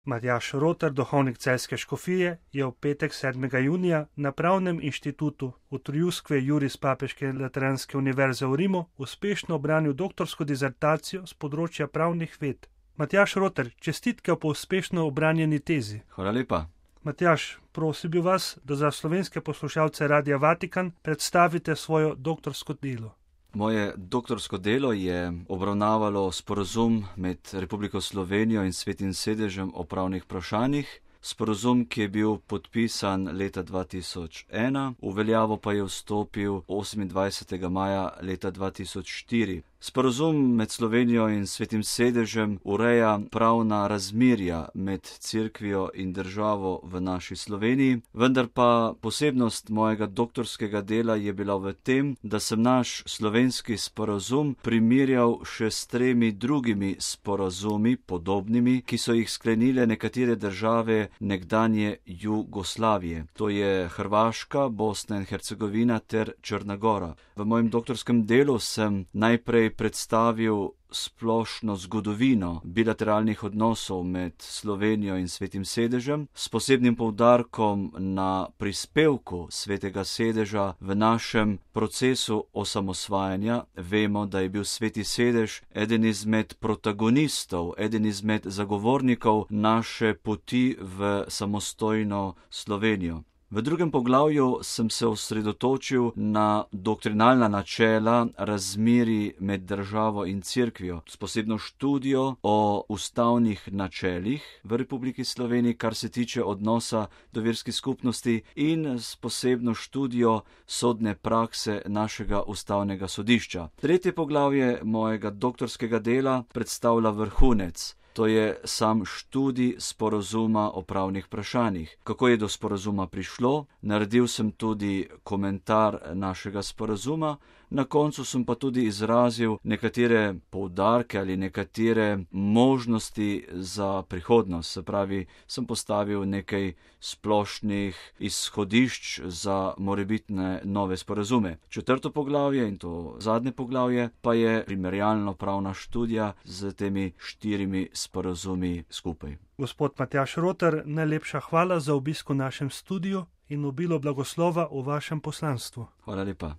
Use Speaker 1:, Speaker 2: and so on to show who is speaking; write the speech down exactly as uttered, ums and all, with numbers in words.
Speaker 1: Matjaž Roter, duhovnik Celjske škofije, je v petek sedmega junija na Pravnem inštitutu v Triuskve Juris Papeške lateranske univerze v Rimu uspešno obranil doktorsko dizertacijo z področja pravnih ved. Matjaž Roter, čestitke po uspešno obranjeni tezi.
Speaker 2: Hvala lepa.
Speaker 1: Matjaž, prosil bi vas, da za slovenske poslušalce Radia Vatikan predstavite svoje doktorsko delo.
Speaker 2: Moje doktorsko delo je obravnavalo sporazum med Republiko Slovenijo in Svetim sedežem o pravnih vprašanjih. Sporazum, ki je bil podpisan leta dva tisoč ena, v veljavo pa je vstopil osemindvajsetega maja leta dva tisoč štiri. Sporazum med Slovenijo in Svetim sedežem ureja pravna razmerja med Cerkvijo in državo v naši Sloveniji, vendar pa posebnost mojega doktorskega dela je bila v tem, da sem naš slovenski sporazum primerjal še s tremi drugimi sporazumi podobnimi, ki so jih sklenile nekatere države nekdanje Jugoslavije. To je Hrvaška, Bosna in Hercegovina ter Črna Gora. V mojem doktorskem delu sem najprej predstavil splošno zgodovino bilateralnih odnosov med Slovenijo in Svetim sedežem, s posebnim poudarkom na prispevku Svetega sedeža v našem procesu osamosvajanja. Vemo, da je bil Sveti sedež eden izmed protagonistov, eden izmed zagovornikov naše poti v samostojno Slovenijo. V drugem poglavju sem se osredotočil na doktrinalna načela razmerij med državo in Cerkvijo, s posebno študijo o ustavnih načelih v Republiki Sloveniji, kar se tiče odnosa do verskih skupnosti, in s posebno študijo sodne prakse našega ustavnega sodišča. Tretje poglavje mojega doktorskega dela predstavlja vrhunec. To je sam študij sporazuma o pravnih vprašanjih. Kako je do sporazuma prišlo? Naredil sem tudi komentar našega sporazuma, na koncu sem pa tudi izrazil nekatere poudarke ali nekatere možnosti za prihodnost. Se pravi, sem postavil nekaj splošnih izhodišč za morebitne nove sporazume. Četrto poglavje, in to zadnje poglavje, pa je primerjalno pravna študija z temi štirimi sporazumi skupaj.
Speaker 1: Gospod Matjaž Roter, najlepša hvala za obisk v našem studiu in obilo blagoslova v vašem poslanstvu.
Speaker 2: Hvala lepa.